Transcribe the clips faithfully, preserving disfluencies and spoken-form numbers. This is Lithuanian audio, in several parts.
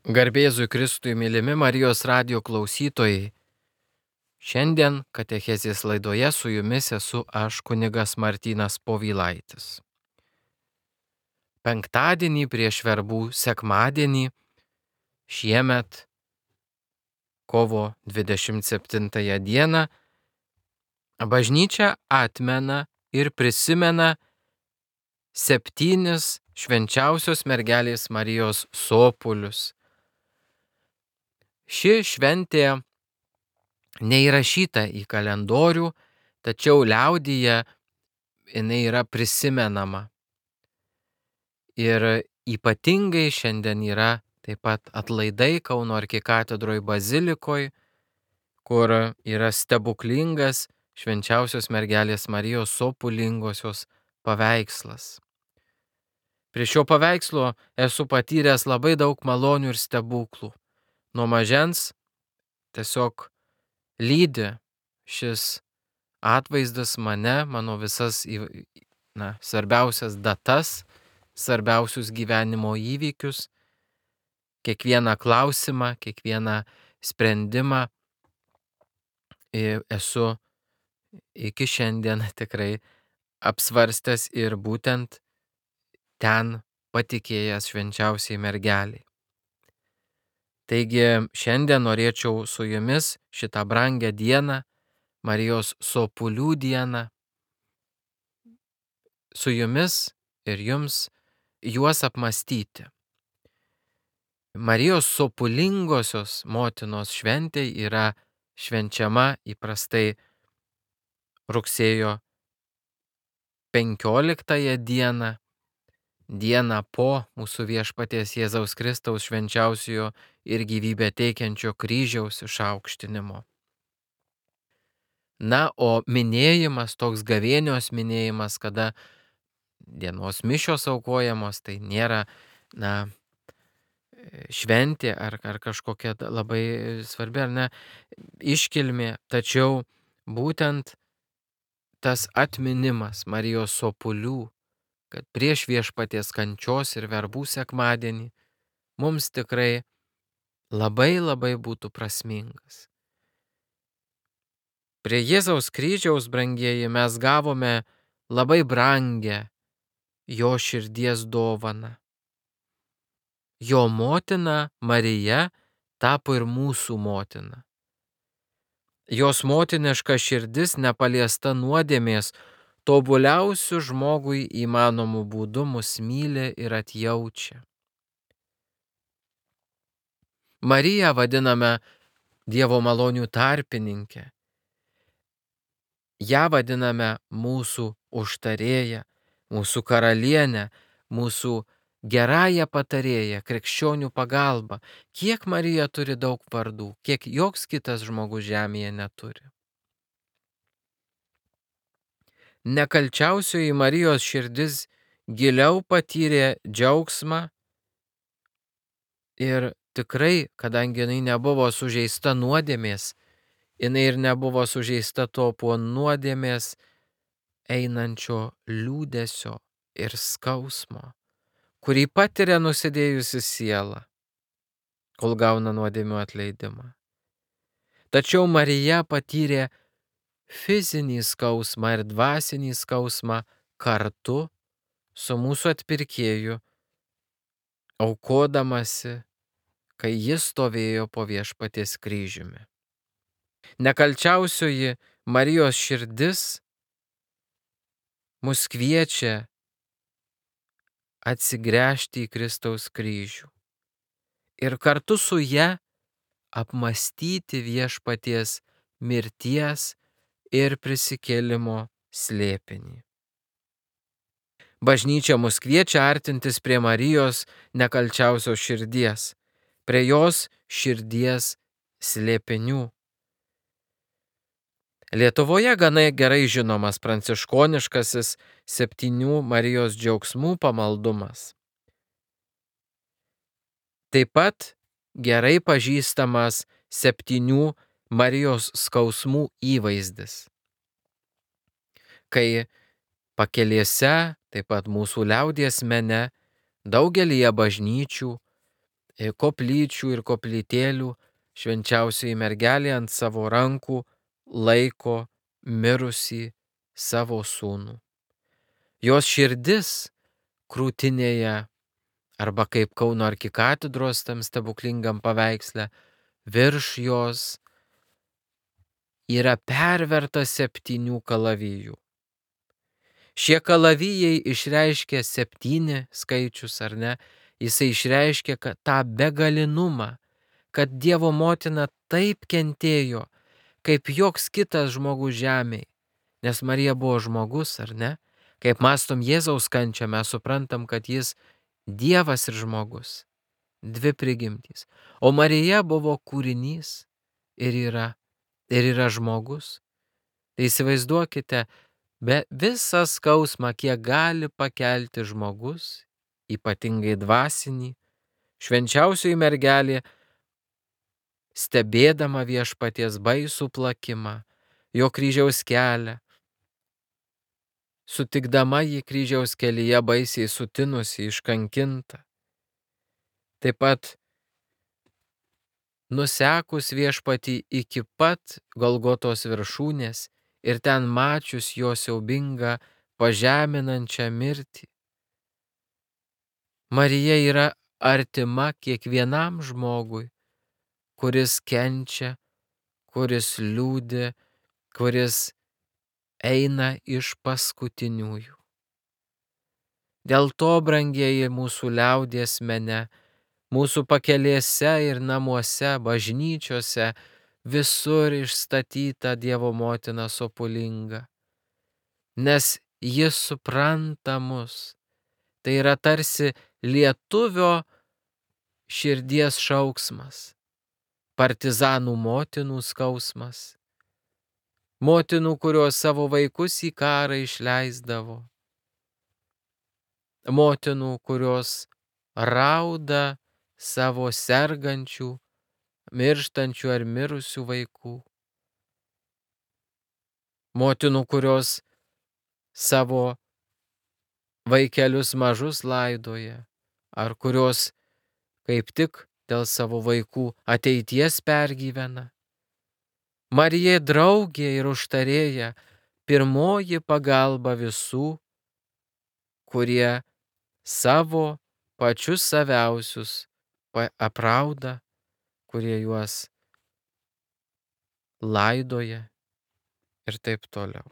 Garbėzui Kristui, mylimi Marijos radijo klausytojai. Šiandien katechezės laidoje su jumis esu aš, kunigas Martynas Povilaitis. Penktadienį prieš verbų sekmadienį šiemet, kovo dvidešimt septintąją dieną, bažnyčia atmena ir prisimena septynis švenčiausios mergelės Marijos sopulius. Ši šventė neįrašyta į kalendorių, tačiau liaudyje jinai yra prisimenama. Ir ypatingai šiandien yra taip pat atlaidai Kauno arkikatedroj bazilikoj, kur yra stebuklingas švenčiausios mergelės Marijos sopulingosios paveikslas. Prie šio paveikslo esu patyręs labai daug malonių ir stebuklų. Nuo mažens tiesiog lydi šis atvaizdas mane, mano visas na, svarbiausias datas, svarbiausius gyvenimo įvykius, kiekvieną klausimą, kiekvieną sprendimą esu iki šiandien tikrai apsvarstęs ir būtent ten patikėjęs švenčiausiai mergeliai. Taigi šiandien norėčiau su jumis šitą brangią dieną, Marijos sopulių dieną, su jumis ir jums juos apmąstyti. Marijos sopulingosios motinos šventė yra švenčiama įprastai rugsėjo penkioliktąją dieną, dieną po mūsų viešpaties Jėzaus Kristaus švenčiausiojo ir gyvybę teikiančio kryžiaus išaukštinimo. Na, o minėjimas, toks gavėnios minėjimas, kada dienos mišios aukojamos, tai nėra, na, šventė ar, ar kažkokia labai svarbi, ar ne, iškilmė, tačiau būtent tas atminimas Marijos sopulių, kad prieš viešpaties kančios ir verbų sekmadienį mums tikrai labai labai būtų prasmingas. Prie Jėzaus kryžiaus, brangieji, mes gavome labai brangę jo širdies dovaną. Jo motina Marija tapo ir mūsų motina. Jos motiniška širdis nepaliesta nuodėmės, tobuliausių žmogui įmanomų būdų mus myli ir atjaučia. Mariją vadiname Dievo malonių tarpininkę. Ja vadiname mūsų užtarėją, mūsų karalienę, mūsų gerąją patarėją, krikščionių pagalbą. Kiek Marija turi daug vardų, kiek joks kitas žmogus žemėje neturi. Nekalčiausioji Marijos širdis giliau patyrė džiaugsmą ir tikrai, kadangi jinai nebuvo sužeista nuodėmės, jinai ir nebuvo sužeista to po nuodėmės einančio liūdesio ir skausmo, kurį patiria nusidėjusi siela, kol gauna nuodėmių atleidimą. Tačiau Marija patyrė fizinį skausmą ir dvasinį skausmą kartu su mūsų atpirkėju, aukodamasi, kai jis stovėjo po viešpaties kryžiumi. Nekalčiausioji Marijos širdis mus kviečia atsigręžti į Kristaus kryžių ir kartu su ja apmąstyti viešpaties mirties ir prisikėlimo slėpinį. Bažnyčia mus kviečia artintis prie Marijos nekalčiausios širdies, prie jos širdies slėpinių. Lietuvoje gana gerai žinomas pranciškoniškasis septynių Marijos džiaugsmų pamaldumas. Taip pat gerai pažįstamas septynių Marijos skausmų įvaizdis, kai pakelėse, taip pat mūsų liaudies mene, daugelyje bažnyčių e, koplyčių ir koplytėlių švenčiausioji mergelė ant savo rankų laiko mirusį savo sūnų. Jos širdis krūtinėje, arba kaip Kauno arkikatedros tam stebuklingam paveiksle, virš jos yra perverta septynių kalavijų. Šie kalavijai išreiškia septyni skaičius, ar ne? Jisai išreiškia kad tą begalinumą, kad Dievo motina taip kentėjo, kaip joks kitas žmogus žemėje. Nes Marija buvo žmogus, ar ne? Kaip mąstom Jėzaus kančią, mes suprantam, kad jis Dievas ir žmogus. Dvi prigimtys. O Marija buvo kūrinys ir yra, ir yra žmogus. Tai įsivaizduokite, be visą skausmą, kiek gali pakelti žmogus, ypatingai dvasinį, švenčiausioji mergelė, stebėdama viešpaties baisų plakimą, jo kryžiaus kelią, sutikdama jį kryžiaus kelyje baisiai sutinusi, iškankintą, taip pat nusekus viešpatį iki pat Golgotos viršūnės ir ten mačius jo siaubingą pažeminančią mirtį. Marija yra artima kiekvienam žmogui, kuris kenčia, kuris liūdi, kuris eina iš paskutiniųjų. Dėl to, brangieji, mūsų liaudies mene, mūsų pakelėse ir namuose, bažnyčiose, visur išstatyta Dievo motina sopulinga, nes jis supranta mus. Tai yra tarsi lietuvio širdies šauksmas, partizanų motinų skausmas, motinų, kurios savo vaikus į karą išleisdavo, motinų, kurios rauda savo sergančių, mirštančių ar mirusių vaikų, motinų, kurios savo vaikelius mažus laidoja, ar kurios kaip tik dėl savo vaikų ateities pergyvena. Marija draugė ir užtarėja, pirmoji pagalba visų, kurie savo pačius saviausius aprauda, kurie juos laidoja ir taip toliau.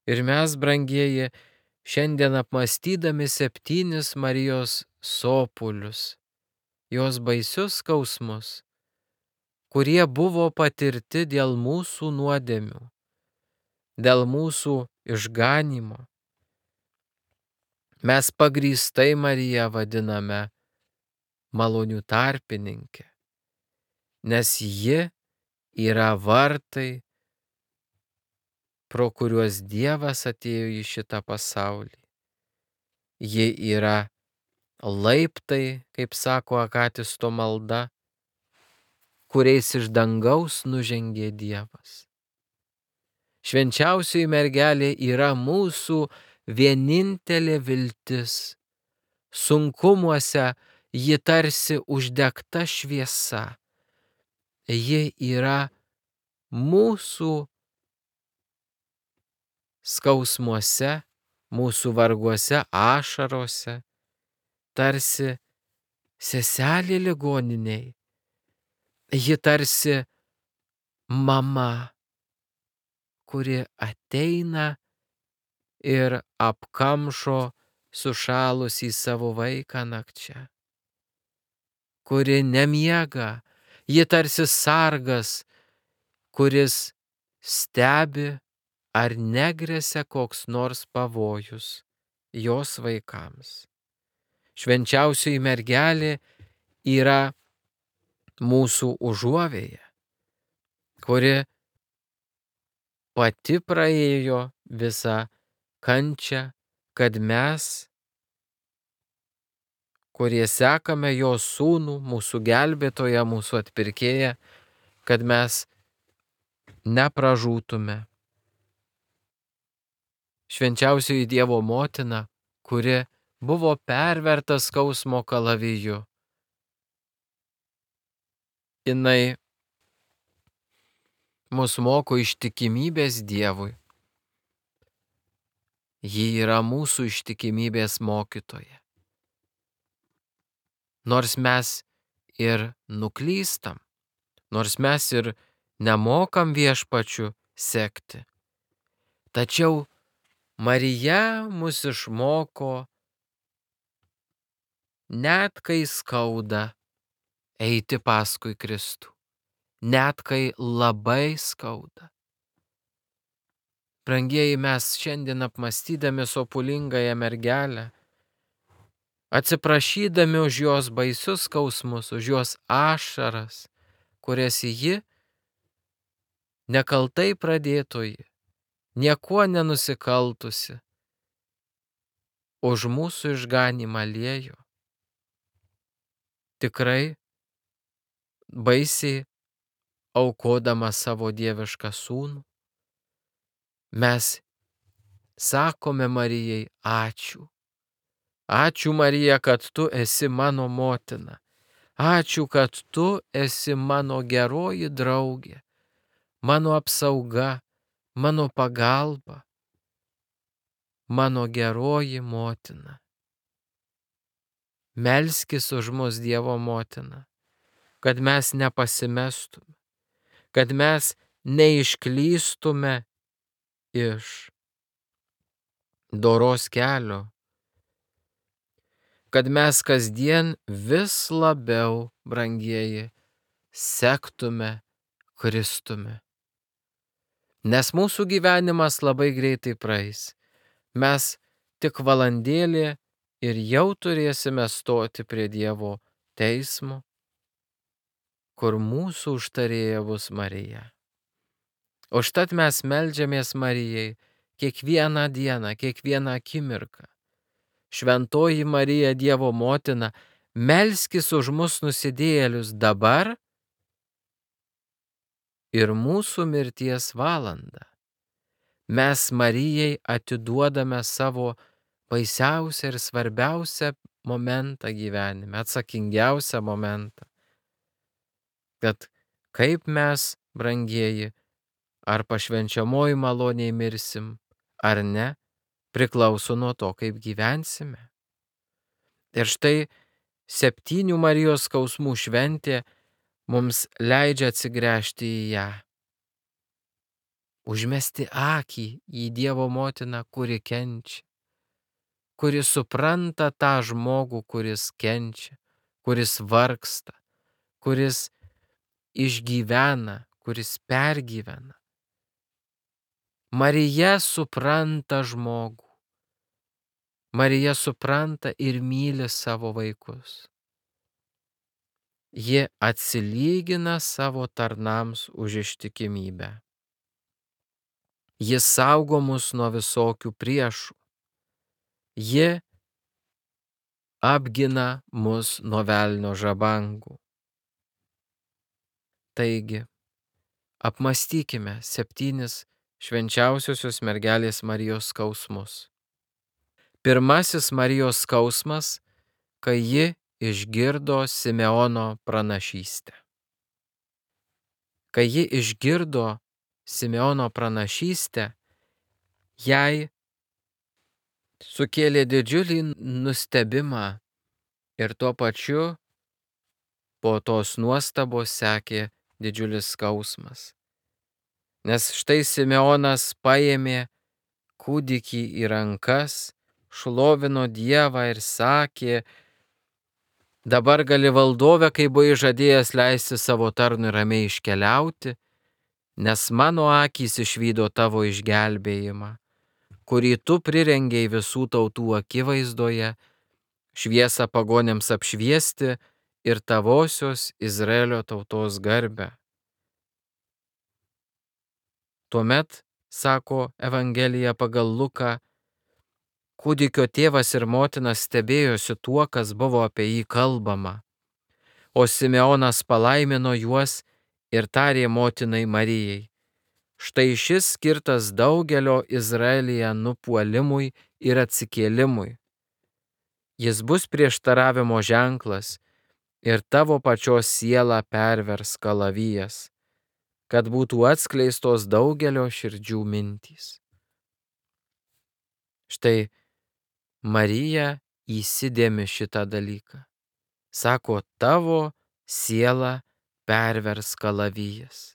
Ir mes, brangieji, šiandien apmąstydami septynis Marijos sopulius, jos baisius skausmus, kurie buvo patirti dėl mūsų nuodėmių, dėl mūsų išganymo, mes pagrįstai Mariją vadiname malonių tarpininkė, nes ji yra vartai, pro kuriuos Dievas atėjo į šitą pasaulį. Ji yra laiptai, kaip sako Akatisto malda, kuriais iš dangaus nužengė Dievas. Švenčiausioji mergelė yra mūsų vienintelė viltis. Sunkumuose ji tarsi uždegta šviesa. Ji yra mūsų skausmuose, mūsų varguose, ašarose, tarsi seselė ligoniniai. Ji tarsi mama, kuri ateina ir apkamšo sušalusį savo vaiką nakčia, kuri nemiega. Ji tarsi sargas, kuris stebi, ar negresia koks nors pavojus jos vaikams. Švenčiausioji mergelė yra mūsų užuovėja, kuri pati praėjo visą kančią, kad mes, kurie sekame jos sūnų, mūsų gelbėtoją, mūsų atpirkėją, kad mes nepražūtume. Švenčiausioji Dievo motina, kuri buvo perverta skausmo kalaviju, jinai mus moko ištikimybės Dievui. Ji yra mūsų ištikimybės mokytoja. Nors mes ir nuklystam, nors mes ir nemokam Viešpačiu sekti, tačiau Marija mus išmoko, net kai skauda, eiti paskui Kristų, net kai labai skauda. Brangieji, mes šiandien apmąstydami sopulingąją mergelę, atsiprašydami už jos baisius skausmus, už jos ašaras, kurias ji nekaltai pradėtoji, niekuo nenusikaltusi, už mūsų išganymą liejo. Tikrai baisiai aukodama savo dievišką sūnų, mes sakome Marijai ačiū. Ačiū, Marija, kad tu esi mano motina. Ačiū, kad tu esi mano geroji draugė, mano apsauga, mano pagalba, mano geroji motina. Melskis už mus, Dievo motina, kad mes nepasimestume, kad mes neišklystume iš doros kelio, kad mes kasdien vis labiau, brangieji, sektume Kristumi. Nes mūsų gyvenimas labai greitai praeis. Mes tik valandėlį ir jau turėsime stoti prie Dievo teismo, kur mūsų užtarėja bus Marija. Užtat mes meldžiamės Marijai kiekvieną dieną, kiekvieną akimirką. Šventoji Marija, Dievo motina, melskis už mus nusidėjėlius dabar ir mūsų mirties valandą. Mes Marijai atiduodame savo baisiausią ir svarbiausią momentą gyvenime, atsakingiausią momentą. Kad kaip mes, brangieji, ar pašvenčiamoji maloniai mirsim, ar ne, priklauso nuo to, kaip gyvensime. Ir štai septynių Marijos skausmų šventė mums leidžia atsigręžti į ją. Užmesti akį į Dievo motiną, kuri kenčia, kuri supranta tą žmogų, kuris kenčia, kuris vargsta, kuris išgyvena, kuris pergyvena. Marija supranta žmogų. Marija supranta ir myli savo vaikus. Ji atsilygina savo tarnams už ištikimybę. Ji saugo mus nuo visokių priešų. Ji apgina mus nuo velnio žabangų. Taigi, apmąstykime septynis švenčiausiosios mergelės Marijos skausmus. Pirmasis Marijos skausmas, kai ji išgirdo Simeono pranašystę. Kai ji išgirdo Simeono pranašystę, jai sukėlė didžiulį nustebimą ir tuo pačiu po tos nuostabos sekė didžiulis skausmas. Nes štai Simeonas paėmė kūdikį į rankas, šlovino Dievą ir sakė: dabar gali valdove, kai buvai žadėjęs leisti savo tarnui ramiai iškeliauti, nes mano akys išvydo tavo išgelbėjimą, kurį tu prirengei visų tautų akivaizdoje, šviesą pagonėms apšviesti ir tavosios Izraelio tautos garbę. Tuomet, sako Evangelija pagal Luką, kūdikio tėvas ir motina stebėjosi tuo, kas buvo apie jį kalbama, o Simeonas palaimino juos ir tarė motinai Marijai: štai šis skirtas daugelio Izraelyje nupuolimui ir atsikėlimui. Jis bus prieštaravimo ženklas ir tavo pačios sielą pervers kalavijas, kad būtų atskleistos daugelio širdžių mintys. Štai Marija įsidėmi šitą dalyką. Sako, tavo sielą pervers kalavijas.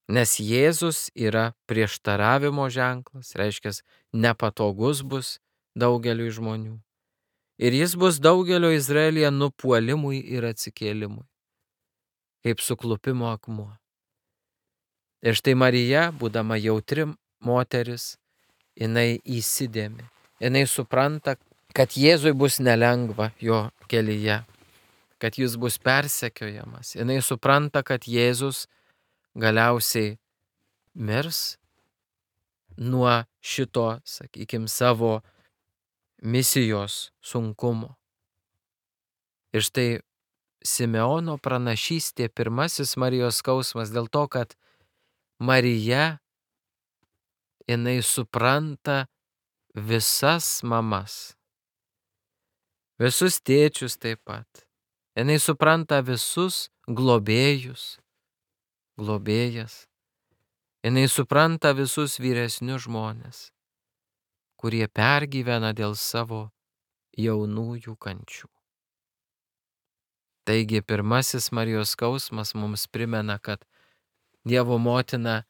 Nes Jėzus yra prieštaravimo ženklas, reiškia, nepatogus bus daugeliui žmonių. Ir jis bus daugelio Izraelyje nupuolimui ir atsikėlimui, kaip suklupimo akmuo. Ir štai Marija, būdama jautri moteris, jinai įsidėmi. Jinai supranta, kad Jėzui bus nelengva jo kelyje, kad jis bus persekiojamas. Jinai supranta, kad Jėzus galiausiai mirs nuo šito, sakykime, savo misijos sunkumo. Ir štai Simeono pranašystė, pirmasis Marijos skausmas, dėl to, kad Marija, jinai supranta visas mamas, visus tėčius taip pat. Jinai supranta visus globėjus, globėjas. Jinai supranta visus vyresnius žmonės, kurie pergyvena dėl savo jaunųjų kančių. Taigi pirmasis Marijos skausmas mums primena, kad Dievo motina,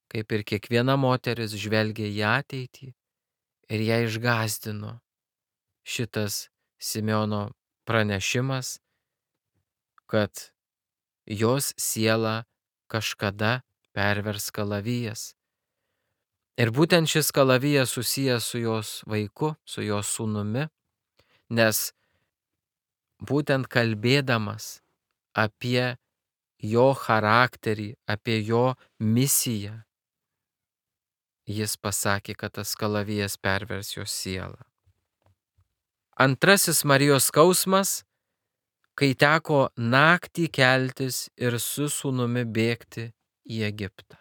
kaip ir kiekviena moteris, žvelgia į ateitį ir ją išgąsdino šitas Simeono pranešimas, kad jos siela kažkada pervers kalavijas. Ir būtent šis kalavijas susijęs su jos vaiku, su jos sūnumi, nes būtent kalbėdamas apie jo charakterį, apie jo misiją, jis pasakė, kad tas kalavijas pervers jos sielą. Antrasis Marijos skausmas, kai teko naktį keltis ir su sūnumi bėgti į Egiptą.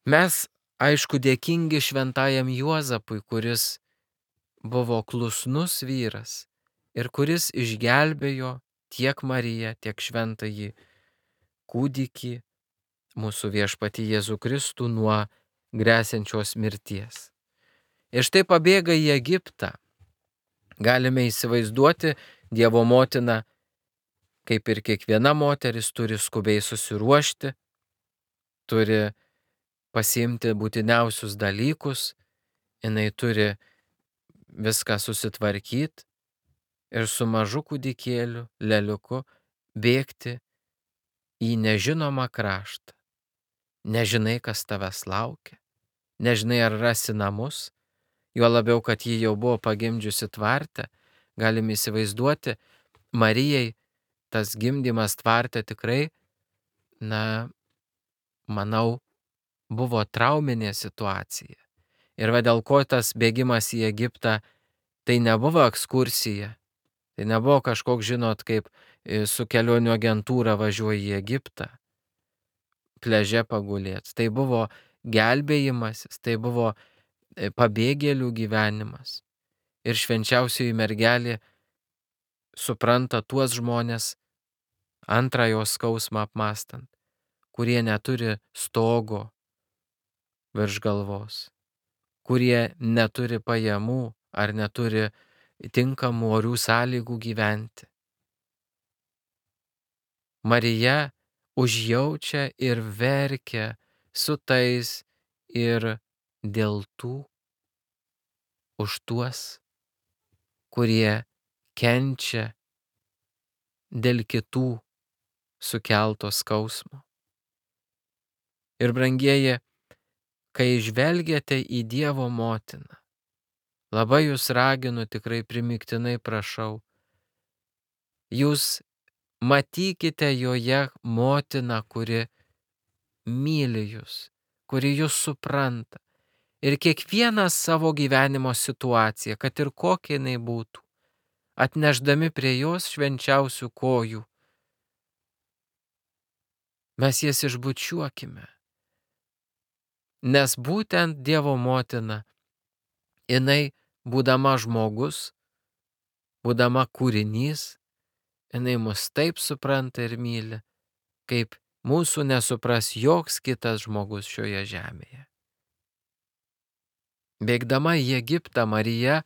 Mes, aišku, dėkingi šventajam Juozapui, kuris buvo klusnus vyras ir kuris išgelbėjo tiek Mariją, tiek šventąjį kūdikį, mūsų viešpatį Jėzų Kristų, nuo gresiančios mirties. Ir štai pabėga į Egiptą. Galime įsivaizduoti, Dievo motina, kaip ir kiekviena moteris, turi skubiai susiruošti, turi pasiimti būtiniausius dalykus, jinai turi viską susitvarkyti ir su mažu kūdikėliu, leliuku, bėgti į nežinomą kraštą. Nežinai, kas tavęs laukia, nežinai, ar rasi namus, juo labiau, kad ji jau buvo pagimdžiusi tvarte. Galim įsivaizduoti, Marijai tas gimdymas tvarte tikrai, na, manau, buvo trauminė situacija. Ir va dėl ko tas bėgimas į Egiptą, tai nebuvo ekskursija, tai nebuvo kažkoks, žinot, kaip su kelionių agentūra važiuoja į Egiptą, pliaže pagulėti. Tai buvo gelbėjimasis, tai buvo pabėgėlių gyvenimas. Ir švenčiausioji mergelė supranta tuos žmonės, antrąjo skausmą apmastant, kurie neturi stogo virš galvos, kurie neturi pajamų ar neturi tinkamų orių sąlygų gyventi. Marija užjaučia ir verkia su tais ir dėl tų, už tuos, kurie kenčia dėl kitų sukelto skausmo. Ir brangieji, kai žvelgiate į Dievo motiną, labai jūs raginu, tikrai primygtinai prašau, jūs matykite joje motiną, kuri myli jūs, kuri jūs supranta. Ir kiekvieną savo gyvenimo situaciją, kad ir kokia jinai būtų, atnešdami prie jos švenčiausių kojų, mes jas išbučiuokime. Nes būtent Dievo motina, jinai, būdama žmogus, būdama kūrinys, jinai mus taip supranta ir myli, kaip mūsų nesupras joks kitas žmogus šioje žemėje. Bėgdama į Egiptą, Marija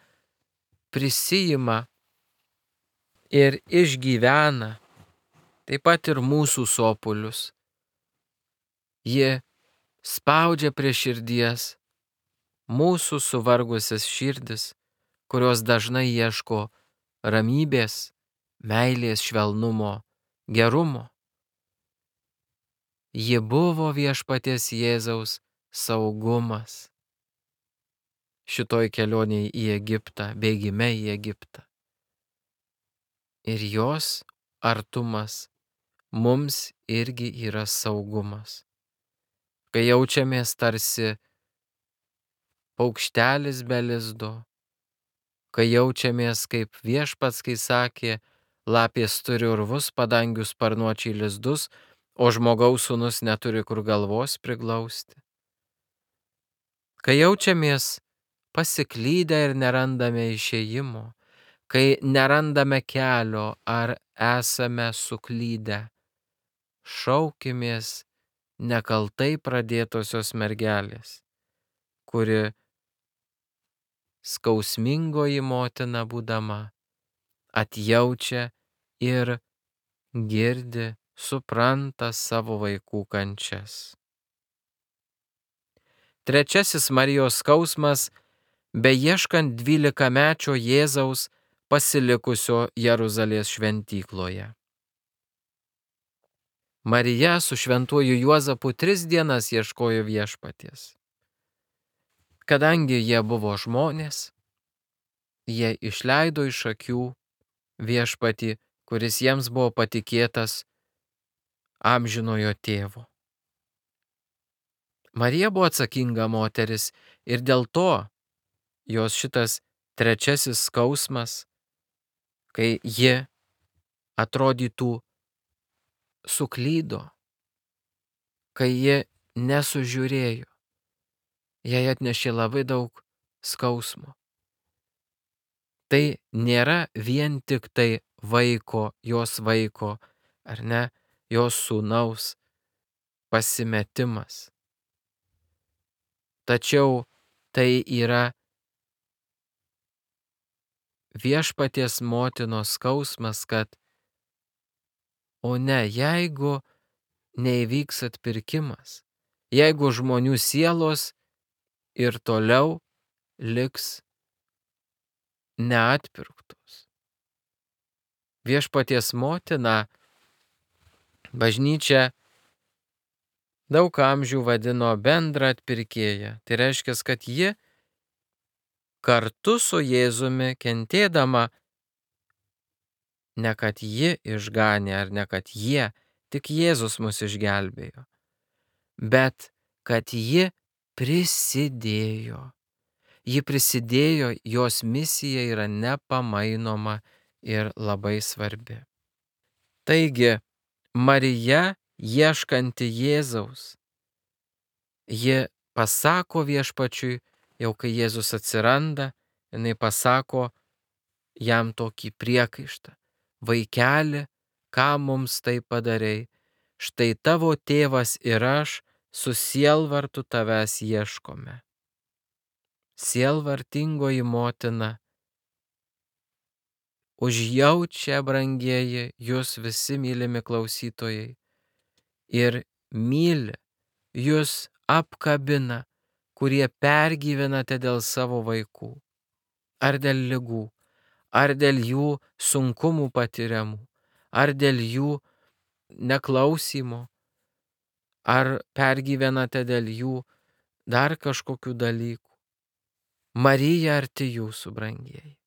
prisijima ir išgyvena taip pat ir mūsų sopulius. Ji spaudžia prie širdies mūsų suvargusias širdis, kurios dažnai ieško ramybės, meilės, švelnumo, gerumo. Ji buvo Viešpaties Jėzaus saugumas šitoj kelionėje į Egiptą, bėgime į Egiptą. Ir jos artumas mums irgi yra saugumas. Kai jaučiamės tarsi paukštelis be lizdo, kai jaučiamės kaip Viešpats, kai sakė, lapės turi urvus, padangių sparnuočiai lizdus, o žmogaus sūnus neturi kur galvos priglausti. Kai jaučiamės pasiklydę ir nerandame išėjimo, kai nerandame kelio ar esame suklydę, šaukimės nekaltai pradėtosios mergelės, kuri skausmingoji motina būdama atjaučia ir girdi, supranta savo vaikų kančias. Trečiasis Marijos skausmas, beieškant dvylikamečio Jėzaus pasilikusio Jeruzalės šventykloje. Marija su šventuoju Juozapu tris dienas ieškojo Viešpaties. Kadangi jie buvo žmonės, jie išleido iš akių Viešpatį, kuris jiems buvo patikėtas amžinojo tėvo. Marija buvo atsakinga moteris ir dėl to jos šitas trečiasis skausmas, kai ji atrodytų suklydo, kai ji nesužiūrėjo, jai atnešė labai daug skausmo. Tai nėra vien tik tai vaiko, jos vaiko, ar ne, jos sūnaus pasimetimas. Tačiau tai yra Viešpaties motinos skausmas, kad o ne, jeigu neįvyks atpirkimas, jeigu žmonių sielos ir toliau liks neatpirktos. Viešpaties motina bažnyčia daug amžių vadino bendrą atpirkėją. Tai reiškia, kad ji kartu su Jėzumi kentėdama, ne kad ji išganė ar ne kad jie, tik Jėzus mus išgelbėjo, bet kad ji prisidėjo. Ji prisidėjo, jos misija yra nepamainoma ir labai svarbi. Taigi, Marija, ieškanti Jėzaus, ji pasako Viešpačiui, jau kai Jėzus atsiranda, jinai pasako jam tokį priekaištą. Vaikeli, ką mums tai padarei? Štai tavo tėvas ir aš su sielvartu tavęs ieškome. Sielvartingoji motina užjaučia, brangieji, jūs visi mylimi klausytojai, ir myli, jūs apkabina, kurie pergyvenate dėl savo vaikų, ar dėl ligų, ar dėl jų sunkumų patiriamų, ar dėl jų neklausymo, ar pergyvenate dėl jų dar kažkokių dalykų. Marija arti jūsų, brangieji.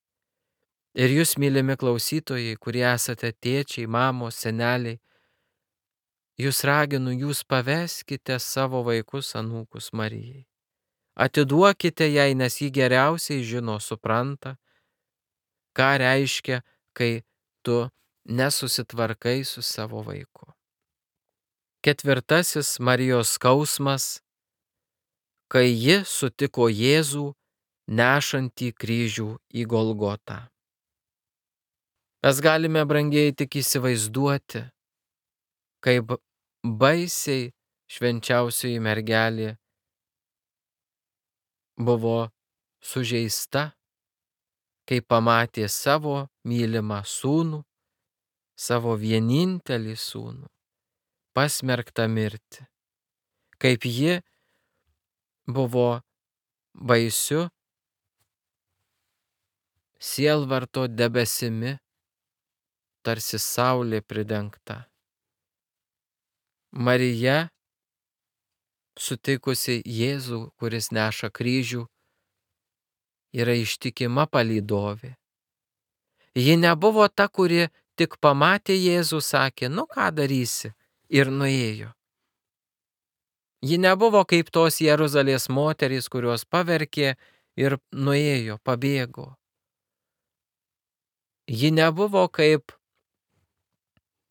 Ir jūs, mylimi klausytojai, kurie esate tėčiai, mamos, seneliai, jūs raginu, jūs paveskite savo vaikus, anūkus Marijai. Atiduokite jai, nes ji geriausiai žino, supranta, ką reiškia, kai tu nesusitvarkai su savo vaiku. Ketvirtasis Marijos skausmas, kai ji sutiko Jėzų nešantį kryžių į Golgotą. Mes galime, brangieji, tik įsivaizduoti, kaip baisiai švenčiausioji mergelė buvo sužeista, kai pamatė savo mylimą sūnų, savo vienintelį sūnų, pasmerktą mirti, kaip ji buvo baisiu sielvarto debesimi, tarsi saulė pridengta. Marija, sutikusi Jėzų, kuris neša kryžių, yra ištikima palydovė. Ji nebuvo ta, kuri tik pamatė Jėzų, sakė, nu ką darysi, ir nuėjo. Ji nebuvo kaip tos Jeruzalės moterys, kurios paverkė ir nuėjo, pabėgo. Ji nebuvo kaip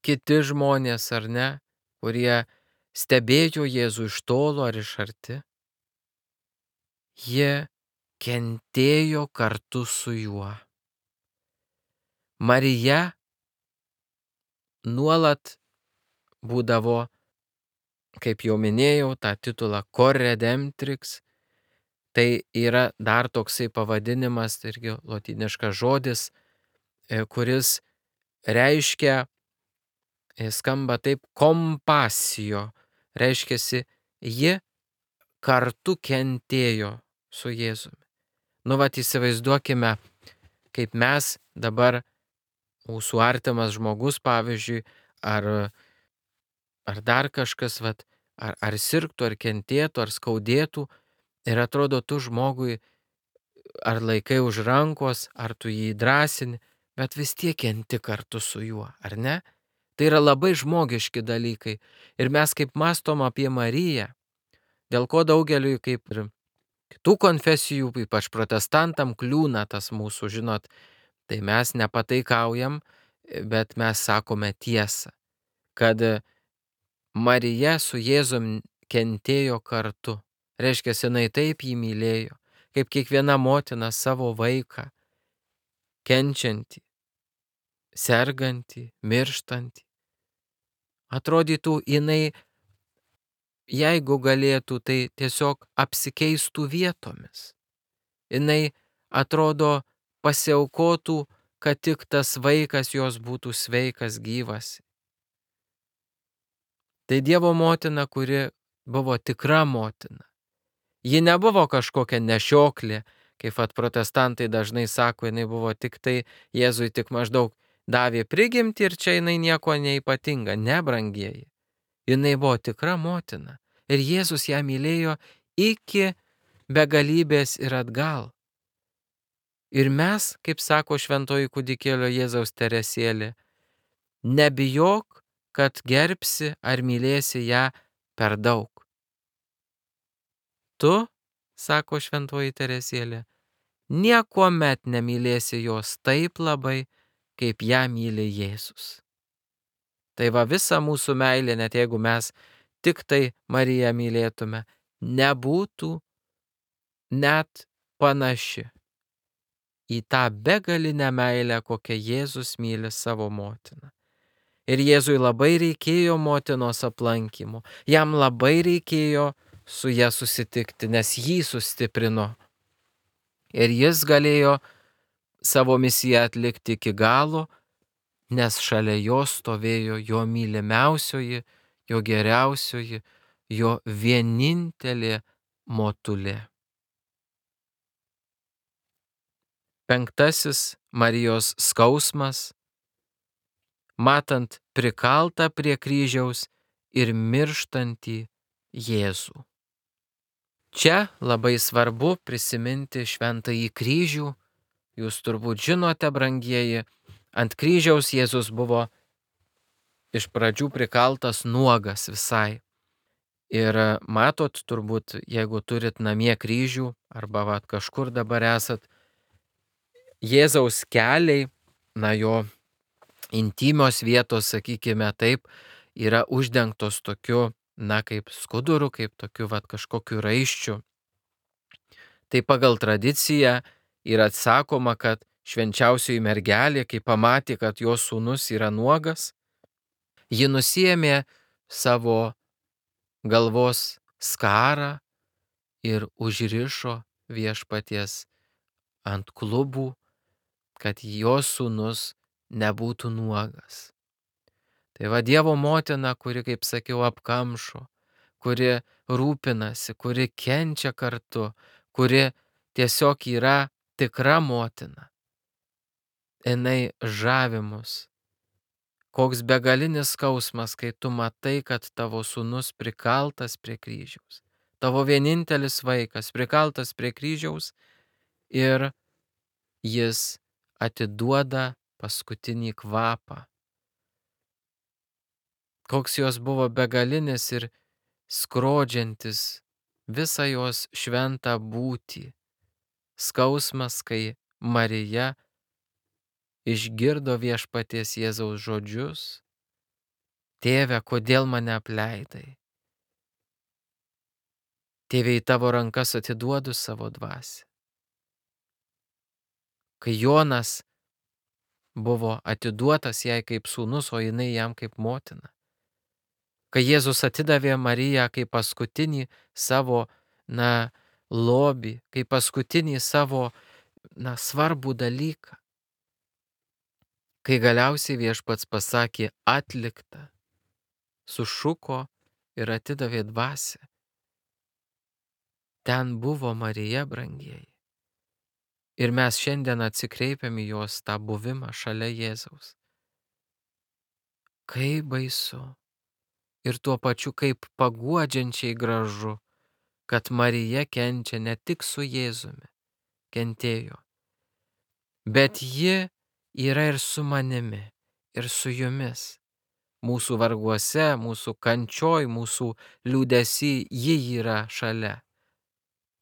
kiti žmonės, ar ne, kurie stebėjo Jėzų iš tolo ar iš arti. Ji kentėjo kartu su juo. Marija nuolat būdavo, kaip jau minėjau, tą titulą Cor Redemptrix. Tai yra dar toksai pavadinimas, tai irgi lotyniškas žodis, kuris reiškia, skamba taip, kompasijo. Reiškiasi, ji kartu kentėjo su Jėzumi. Nu, vat įsivaizduokime, kaip mes dabar, mūsų artimas žmogus, pavyzdžiui, ar, ar dar kažkas, vat, ar, ar sirgtų, ar kentėtų, ar skaudėtų, ir atrodo, tu žmogui ar laikai už rankos, ar tu jį drąsini, bet vis tiek kenti kartu su juo, ar ne? Tai yra labai žmogiški dalykai. Ir mes kaip mastom apie Mariją, dėl ko daugeliui, kaip ir kitų konfesijų, ypač protestantam, kliūna tas mūsų, žinot, tai mes nepataikaujam, bet mes sakome tiesą, kad Marija su Jėzum kentėjo kartu. Reiškia, jinai taip jį mylėjo, kaip kiekviena motina savo vaiką, kenčiantį, sergantį, mirštantį. Atrodytų, jinai, jeigu galėtų, tai tiesiog apsikeistų vietomis. Jinai, atrodo, pasiaukotų, kad tik tas vaikas jos būtų sveikas, gyvas. Tai Dievo motina, kuri buvo tikra motina. Ji nebuvo kažkokia nešioklė, kaip at protestantai dažnai sako, jinai buvo tik tai, Jėzui tik maždaug davė prigimtį ir čia jinai nieko neipatinga, ne, brangieji. Jinai buvo tikra motina ir Jėzus ją mylėjo iki begalybės ir atgal. Ir mes, kaip sako šventoji kūdikėlio Jėzaus Teresėlė, nebijok, kad gerbsi ar mylėsi ją per daug. Tu, sako šventoji Teresėlė, niekuomet nemylėsi jos taip labai, kaip ją myli Jėzus. Tai va, visa mūsų meilė, net jeigu mes tik tai Mariją mylėtume, nebūtų net panaši į tą begalinę meilę, kokią Jėzus myli savo motiną. Ir Jėzui labai reikėjo motinos aplankymo, jam labai reikėjo su ja susitikti, nes jį sustiprino. Ir jis galėjo savo misiją atlikti iki galo, nes šalia jo stovėjo jo mylimiausioji, jo geriausioji, jo vienintelė motulė. Penktasis Marijos skausmas, matant prikaltą prie kryžiaus ir mirštantį Jėzų. Čia labai svarbu prisiminti šventąjį kryžių. Jūs turbūt žinote, brangieji, ant kryžiaus Jėzus buvo iš pradžių prikaltas nuogas visai. Ir matot, turbūt, jeigu turit namie kryžių, arba vat, kažkur dabar esat, Jėzaus keliai, na jo intymios vietos, sakykime taip, yra uždengtos tokiu, na kaip skuduru, kaip tokiu vat, kažkokiu raiščiu. Tai pagal tradiciją yra atsakoma, kad švenčiausioji mergelė, kai pamatė, kad jos sūnus yra nuogas, ji nusiėmė savo galvos skarą ir užrišo viešpaties ant klubų, kad jos sūnus nebūtų nuogas. Tai va Dievo motina, kuri, kaip sakiau, apkamšo, kuri rūpinasi, kuri kenčia kartu, kuri tiesiog yra tikra motina. Jinai žavi mus. Koks begalinis skausmas, kai tu matai, kad tavo sūnus prikaltas prie kryžiaus. Tavo vienintelis vaikas prikaltas prie kryžiaus ir jis atiduoda paskutinį kvapą. Koks jos buvo begalinis ir skrodžiantis visą jos šventą būtį. Skausmas, kai Marija išgirdo viešpaties Jėzaus žodžius: Tėve, kodėl mane apleidai? Tėve, į tavo rankas atiduodu savo dvasią. Kai Jonas buvo atiduotas jai kaip sūnus, o jinai jam kaip motina. Kai Jėzus atidavė Mariją kaip paskutinį savo, na, lobį, kaip paskutinį savo, na, svarbų dalyką. Kai galiausiai viešpats pasakė atlikta, sušuko ir atidavė dvasią. Ten buvo Marija, brangieji. Ir mes šiandien atsikreipiam į jos tą buvimą šalia Jėzaus. Kaip baisu ir tuo pačiu kaip paguodžiančiai gražu, kad Marija kenčia ne tik su Jėzumi, kentėjo, bet ji yra ir su manimi, ir su jumis. Mūsų varguose, mūsų kančioj, mūsų liūdesy ji yra šalia.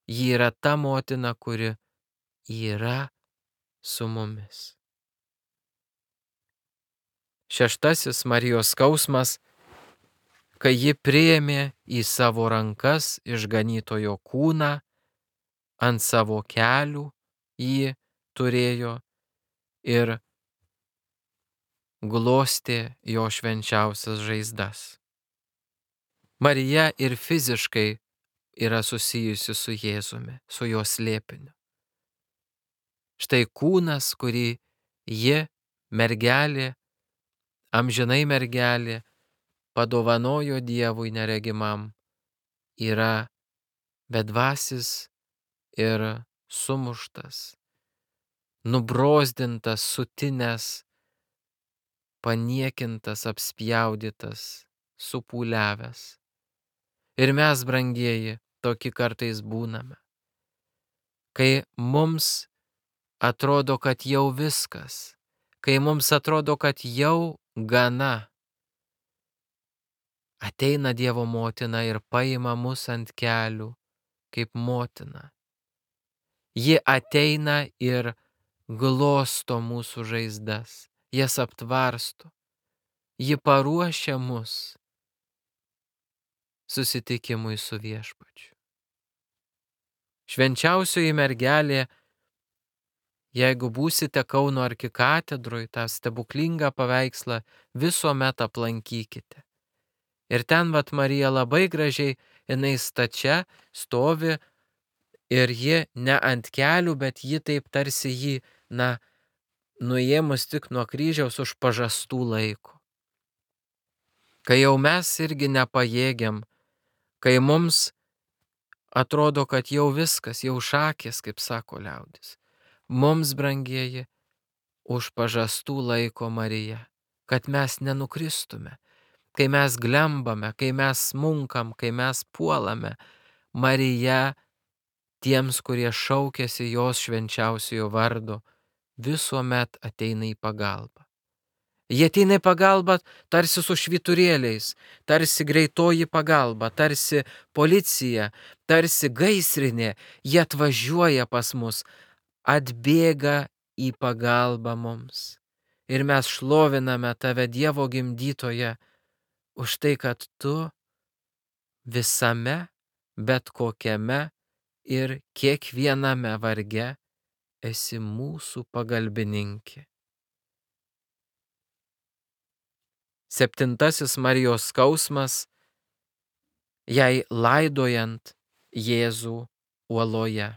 Ji yra ta motina, kuri yra su mumis. Šeštasis Marijos skausmas, kai ji priėmė į savo rankas išganytojo kūną, ant savo kelių jį turėjo ir glostė jo švenčiausias žaizdas. Marija ir fiziškai yra susijusi su Jėzumi, su jo slėpiniu. Štai kūnas, kurį ji, mergelė, amžinai mergelė, padovanojo Dievui neregimam, yra bedvasis ir sumuštas, nubrozdintas, sutinęs, paniekintas, apspjaudytas, supūliavęs. Ir mes, brangieji, tokie kartais būname, kai mums atrodo, kad jau viskas, kai mums atrodo, kad jau gana. Ateina Dievo motina ir paima mus ant kelių kaip motina. Ji ateina ir glosto mūsų žaizdas, jas aptvarsto. Ji paruošia mus susitikimui su viešpačiu. Švenčiausioji mergelė, jeigu būsite Kauno arkikatedroj, tą stebuklingą paveikslą visuomet aplankykite. Ir ten vat Marija labai gražiai, jinai stačia stovi ir ji ne ant kelių, bet ji taip tarsi jį, na, nuėmus tik nuo kryžiaus už pažastų laiko. Kai jau mes irgi nepajėgiam, kai mums atrodo, kad jau viskas, jau šakės, kaip sako liaudis. Mums, brangieji, už pažastų laiko Marija, kad mes nenukristume. Kai mes glembame, kai mes smunkam, kai mes puolame, Marija tiems, kurie šaukiasi jos švenčiausiojo vardo, visuomet ateina į pagalbą. Jie ateina į pagalbą tarsi su švyturėliais, tarsi greitoji pagalba, tarsi policija, tarsi gaisrinė. Jie atvažiuoja pas mus, atbėga į pagalbą mums. Ir mes šloviname tave, Dievo gimdytoje, už tai, kad tu visame, bet kokiame ir kiekviename varge esi mūsų pagalbininkė. Septintasis Marijos skausmas, jai laidojant Jėzų uoloje.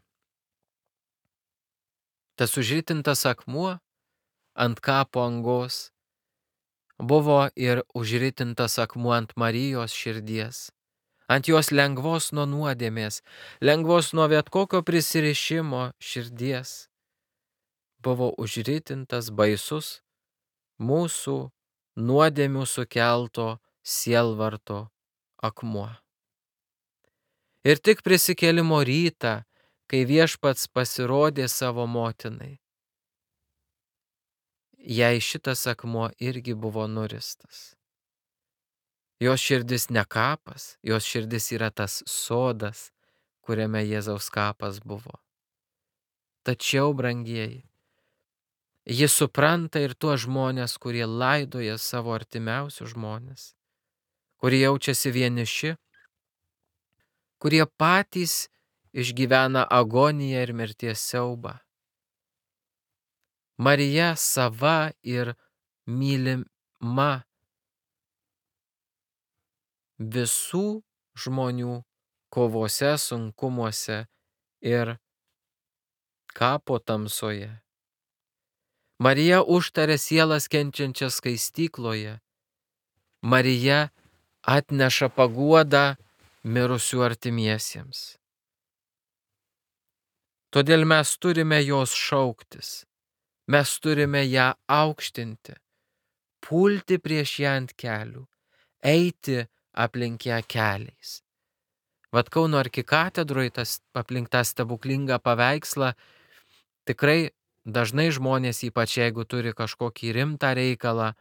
Tas užritintas akmuo ant kapo angos buvo ir užritintas akmuo ant Marijos širdies, ant jos lengvos nuo nuodėmės, lengvos nuo bet kokio prisirišimo širdies. Buvo užritintas baisus mūsų nuodėmių sukelto sielvarto akmuo. Ir tik prisikėlimo rytą, kai Viešpats pasirodė savo motinai, jai šitas akmuo irgi buvo nuristas. Jos širdis ne kapas, jos širdis yra tas sodas, kuriame Jėzaus kapas buvo. Tačiau, brangieji, ji supranta ir tuos žmonės, kurie laidoja savo artimiausius žmonės, kurie jaučiasi vieniši, kurie patys išgyvena agoniją ir mirties siaubą. Marija sava ir mylima visų žmonių kovose, sunkumuose ir kapo tamsoje. Marija užtaria sielas kenčiančias skaistykloje. Marija atneša paguodą mirusių artimiesiems. Todėl mes turime jos šauktis, mes turime ją aukštinti, pulti prieš ją ant kelių, eiti aplink ją keliais. Vat Kauno arkikatedroje tas aplink tą stebuklingą paveikslą tikrai dažnai žmonės, ypač jeigu turi kažkokį rimtą reikalą,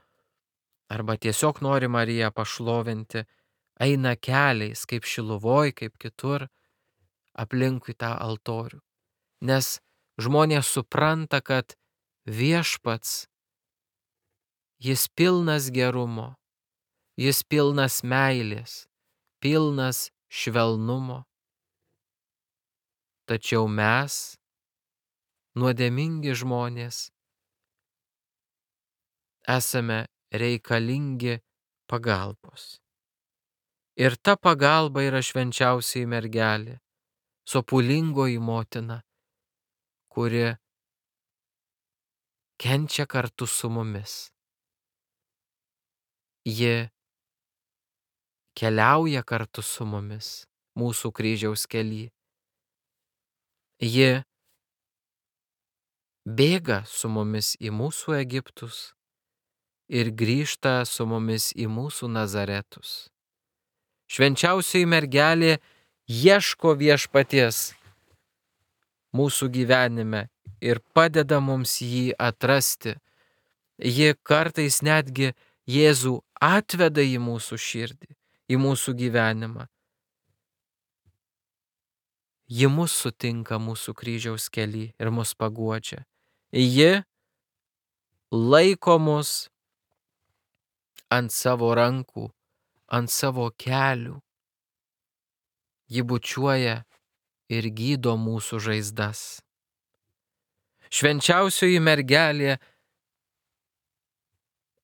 arba tiesiog nori Mariją pašlovinti, eina keliais, kaip Šiluvoj, kaip kitur, aplinkui tą altorių. Nes žmonės supranta, kad Viešpats, jis pilnas gerumo, jis pilnas meilės, pilnas švelnumo. Tačiau mes, nuodėmingi žmonės, esame reikalingi pagalbos. Ir ta pagalba yra švenčiausioji mergelė, sopulingoji motina, kuri kenčia kartu su mumis. Ji keliauja kartu su mumis mūsų kryžiaus kely. Ji bėga su mumis į mūsų Egiptus ir grįžta su mumis į mūsų Nazaretus. Švenčiausioji mergelė ieško Viešpaties mūsų gyvenime ir padeda mums jį atrasti. Ji kartais netgi Jėzų atveda į mūsų širdį, į mūsų gyvenimą. Ji mus sutinka mūsų kryžiaus kely ir mus paguodžia. Ji laiko mus ant savo rankų, ant savo kelių. Ji bučiuoja ir gydo mūsų žaizdas. Švenčiausioji mergelė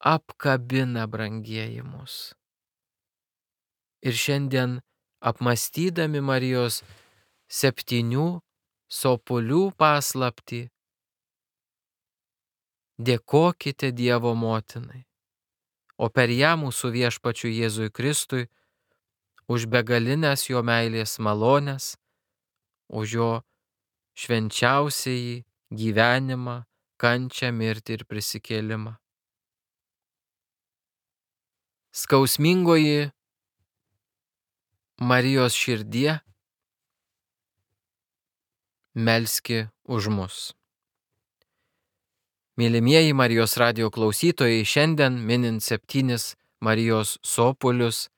apkabina, brangieji, mus. Ir šiandien, apmąstydami Marijos septynių sopulių paslaptį, dėkokite Dievo motinai, o per ją mūsų Viešpačiui Jėzui Kristui už begalinės jo meilės malones, už jo švenčiausiąjį gyvenimą, kančią, mirtį ir prisikėlimą. Skausmingoji Marijos širdie, melski už mus. Mylimieji Marijos radijo klausytojai, šiandien minint septynis Marijos sopulius,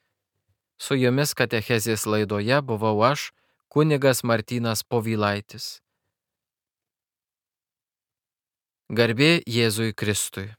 su jumis katechezės laidoje buvau aš, kunigas Martynas Povilaitis. Garbė Jėzui Kristui.